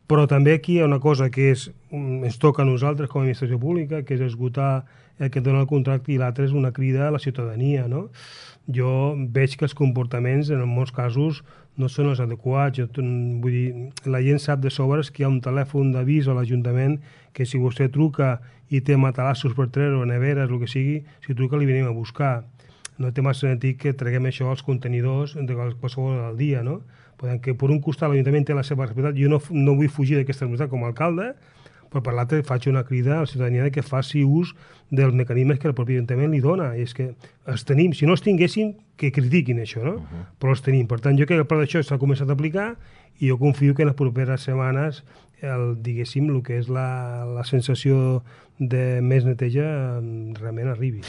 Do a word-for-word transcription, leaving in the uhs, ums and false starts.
Però també aquí hi ha una cosa que és, ens toca a nosaltres com a administració pública, que és esgotar el que dona el contracte, i l'altre és una crida a la ciutadania, no? Jo veig que els comportaments en molts casos no són els adequats. Jo, vull dir, la gent sap de sobres que hi ha un telèfon d'avís a l'Ajuntament que si vostè truca i té matalassos per treure o neveres, el que sigui, si truca li venim a buscar. No té massa sentit que treguem això als contenidors de qualsevol del dia, no? Que per un costat l'Ajuntament té la seva responsabilitat, jo no, no vull fugir d'aquesta responsabilitat com a alcalde, però per l'altre faig una crida a la ciutadania que faci ús dels mecanismes que el propi Ajuntament li dona. I és que els tenim. Si no els tinguéssim, que critiquin això, no? Uh -huh. Però els tenim. Per tant, jo crec que el pla d'això s'ha començat a aplicar i jo confio que en les properes setmanes el, diguéssim, el que és la, la sensació de més neteja realment arribi.